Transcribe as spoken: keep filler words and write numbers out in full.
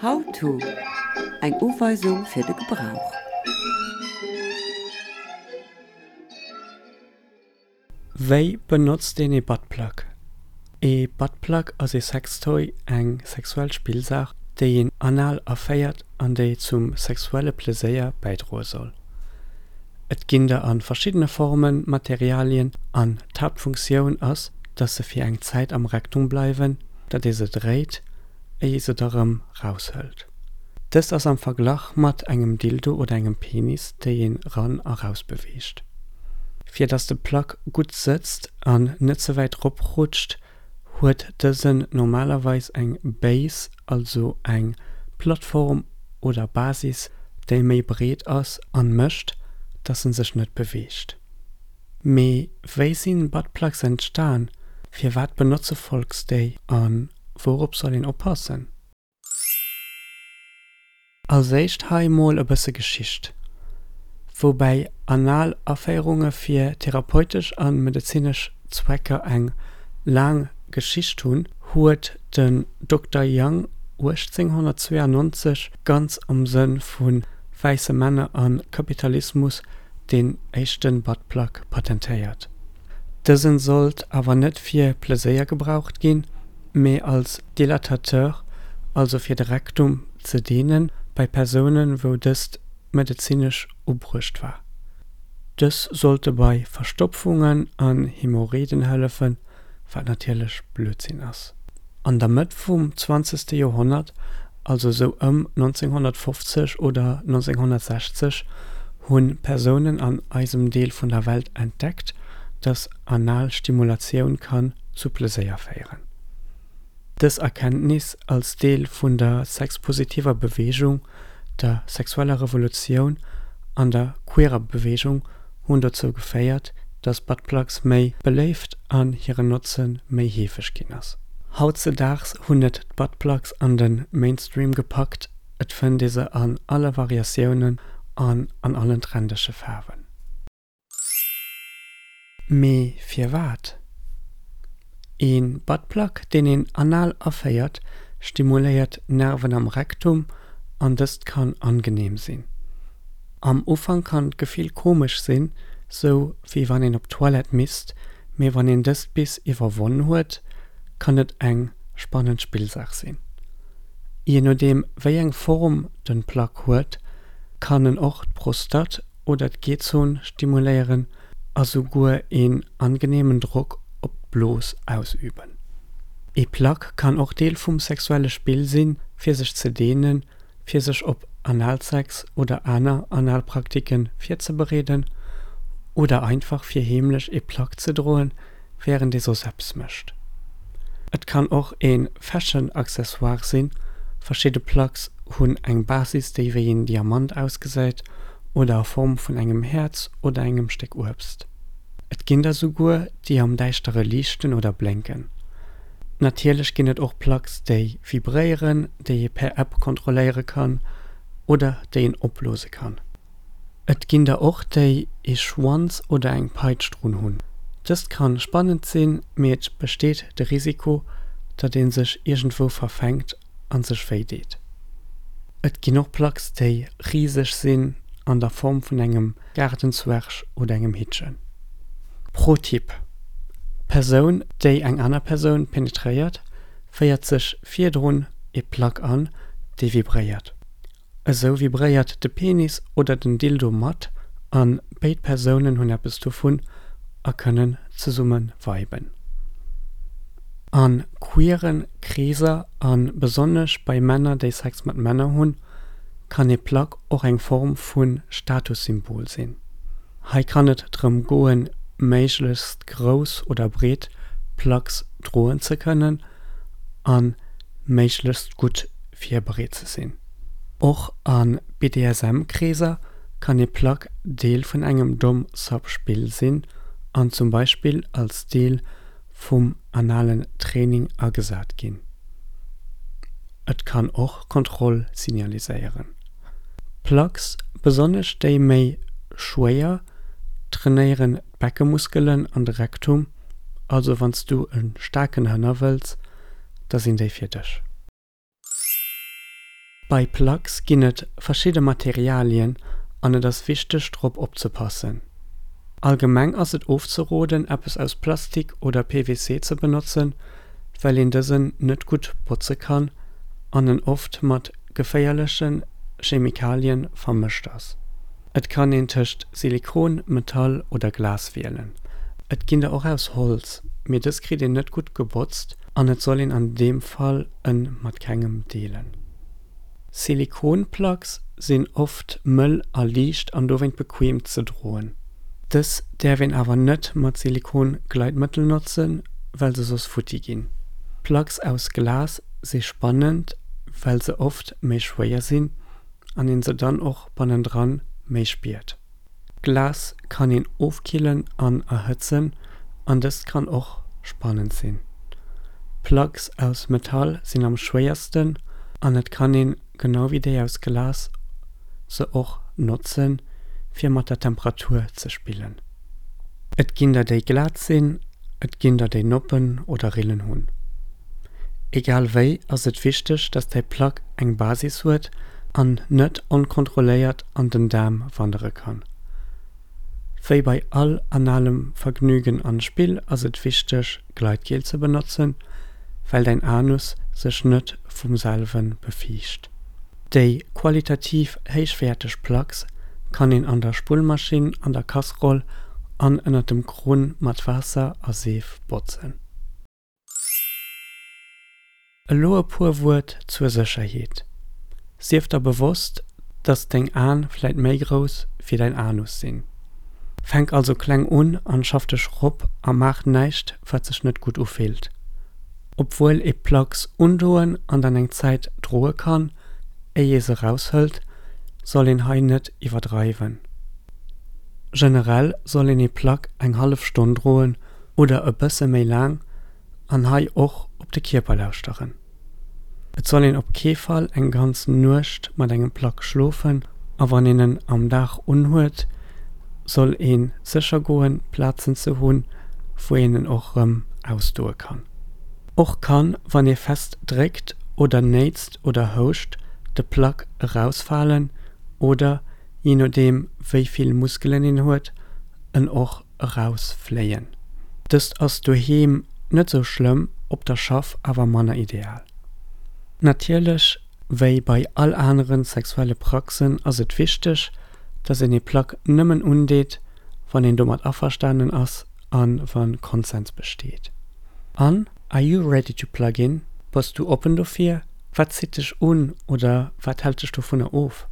How to, Eng Uweisung fir de Gebrauch. Wéi benotzt een ee Buttplug? Ee Buttplug ass ee Sextoy, eng sexuell Spillsaach, déi een anal aféiert an déi zum sexuelle Pleséier bäidroe soll. Et ginn der a verschiddene Formen, Materialien an d'Haaptfunktioun ass, dass se fir eng Zäit am Rektum bleiwen, datt ee se dréit, éier ee se da rëm raushëlt. Dëst ass am Verglach mat engem Dildo oder engem Penis, déi een ran a raus beweegt. Fir dass de Plug gutt sëtzt an net ze wäit rop rutscht, huet dësen normalerweis eng Base, also eng Plattform oder Basis, déi méi breet ass an mécht, dass en sech net beweegt. Mee wéi sinn Buttplugs entstan, firwat benotze Folks déi an wourop soll een oppassen? Als éischt hei mol e bësse Geschicht. Woubäi anal Aféierunge fir therapeutesch a medezinesch Zwecker eng laang Geschicht hunn, huet den Dokter Young uechtzénghonnertzweeanonzeg ganz am Sënn vu wäisse Männer a Kapitalismus deen éischte Buttplug patentéiert. Dësen sollt awer net fir Pleséier gebraucht ginn, mee als Dilatateur, also fir de Rektum ze deenen, bei Persounen, wou dëst medezinesch ubruecht war. Dës sollte bei Verstopfungen an Hämorrhoiden hëllefen, wat natierlech Blödsinn ass. An der Mëtt vum zwanzegste Joerhonnert, also sou ëm nonzénghonnertfofzeg oder nonzénghonnertsechzeg, hu Persounen an eisem Deel vun der Welt entdeckt, dass anal Stimulatioun kann zu Pleséier féieren. Dës Erkenntnis als Deel vun der sexpositiver Beweegung, der sexueller Revolutioun an der queerer Beweegung hunn dozou geféiert, dass Buttplugs méi beléift an hiren Notze méi heefeg ginn ass. Hautzedaags hunn et d'Buttplugs an de Mainstream gepackt, et fënnt ee se an alle Variatiounen an an allen trendege Faarwen. Mee firwat? Ee Buttplug, deen een anal aféiert, stimuléiert d'Nerven am Rektum an dëst kann angeneem sinn. Am Ufank kann d'Gefill komesch sinn, sou wéi wann een op d'Toilette misst, mee wann een dëst bis iwwerwonn huet, kann et eng spannend Spillsaach sinn. Je nodeem wéi eng Form den Plug huet, kann en och d'Prostate oder d'G-Zon stimuléieren a souguer een angeneemen Drock op d'Blos ausüben. Ee Plug kann och Deel vum sexuelle Spill sinn, fir sech ze deenen, fir sech op Analsex oder aner Analpraktiken virzebereeden oder einfach fir heemlech ee Plug ze droen, wärend ee soss eppes mécht. Et kann och ee Fashion-Accessoire sinn, verschidde Plugs hunn eng Basis déi wéi een Diamant ausgesäit oder a Form vun engem Häerz oder engem Stéck Uebst. Et ginn der souguer, déi am Däischtere liichten oder blénken. Natierlech ginn et och Plugs, déi vibréieren, déi ee per App kontrolléiere kann oder déi een opblose kann. Et ginn der och, déi ee Schwanz oder eng Peitsch drun hunn. Dëst kann spannend sinn, mee et besteet de Risiko, datt ee sech iergendwou verfänkt an sech wéi deet. Et ginn och Plugs, déi riseg sinn, an der Form vun engem Gaardenzwerg oder engem Hittchen. Pro-Tipp, D'Persoun, déi eng aner Persoun penetréiert, féiert sech virdrun ee Plug an, dee vibréiert. Esou vibréiert de Penis oder den Dildo mat a béid Persounen hunn eppes dovun a kënnen zesumme viben. A queeren Kreeser a besonnesch bei Männer, déi Sex mat Männer hunn, kann ee Plug och eng Form vu Statussymbol sinn. Hei kann et drëm goen, méiglechst grouss oder breet Plugs droen ze kënnen a méiglechst gutt virbereet ze sinn. Och a B D S M Kreeser kann ee Plug Deel vun engem Dom-Sub-Spill sinn an zum Beispill als Deel vum analen Training agesat ginn. Et kann och Kontroll signaliséieren. Plugs, besonnesch déi méi schwéier, trainéieren d'Beckemuskelen an de Rektum, also wann s du e staarken Hënner wëlls, da sinn déi fir dech. Bei Plugs ginn et verschidde Materialien an et ass wichteg drop opzepassen. Allgemeng ass et ofzeroden eppes aus Plastik oder P V C ze benotzen, well een dësen net gutt botze kann an en oft mat geféierlechen Chemikalien vermëscht ass. Et kann een tëscht Silikon, Metall oder Glas wielen. Et ginn der och aus Holz, mee dës kritt een net gutt gebotzt an et soll een an deem Fall en mat kengem deelen. Silikonplugs sinn oft mëll a liicht an dowéint bequem ze droen. Dës däerf een awer net mat Silikongleitmëttel notzen, well se soss futti ginn. Plugs aus Glas si spannend, well se oft méi schwéier sinn an een se dann och bannendran méi spiert. Glas kann een ofkillen an erhëtzen an dëst kann och spannend sinn. Plugs aus Metall sinn am schwéiersten an et kann een, genau wéi déi aus Glas, se och notzen, fir mat der Temperatur ze spillen. Et ginn der déi glat sinn, et ginn der déi Noppen oder Rillen hunn. Egal wéi ass et wichteg, dass däi Plug eng Basis huet an net onkontrolléiert an den Daarm wandere kann. Wéi bei all analem Vergnügen an Spill ass et wichteg, Gleitgel ze benotzen, well däin Anus sech net vum selwen befiicht. Déi qualitativ héichwäerteg Plugs kann een an der Spullmaschinn, an der Kasseroll an ënner dem Krunn mat Waasser a Seef botzen. Elo e puer Wuert zur Sécherheet. Sief der bewosst, dass deng Aen vläit méi grouss wéi däin Anus sinn. Fänk also kleng un an schaff dech rop a maach näischt, wat sech net gutt ufillt. Obwuel ee Plugs undoen an dann eng Zäit droe kann, éier ee se raushëlt, soll een hei net iwwerdreiwen. Generell soll een ee Plug eng hallef Stonn droen oder e bësse méi laang an hei och op de Kierper lauschteren. Et soll een op kee Fall eng ganz Nuecht mat engem Plug schlofen a wann een en am Dag unhuet, soll een sécher goen, Plazen ze hunn, wou een en och rëm ausdoe kann. Och kann, wann ee fest dréckt oder néitst oder houscht, de Plug erausfalen oder, je nodeem wéi vill Muskelen een huet, en och erausfléien. Dëst ass doheem net sou schlëmm, op der Schaff awer manner ideal. Natierlech, wéi bei all aneren sexuelle Praxen ass et wichteg, dass een ee Plug nëmmen undeet, wann een domat averstanen ass an wann Konsens besteet. An, are you ready to plug in? Bass du oppen dofir? Wat zitt dech un oder wat hält dech dovunner of?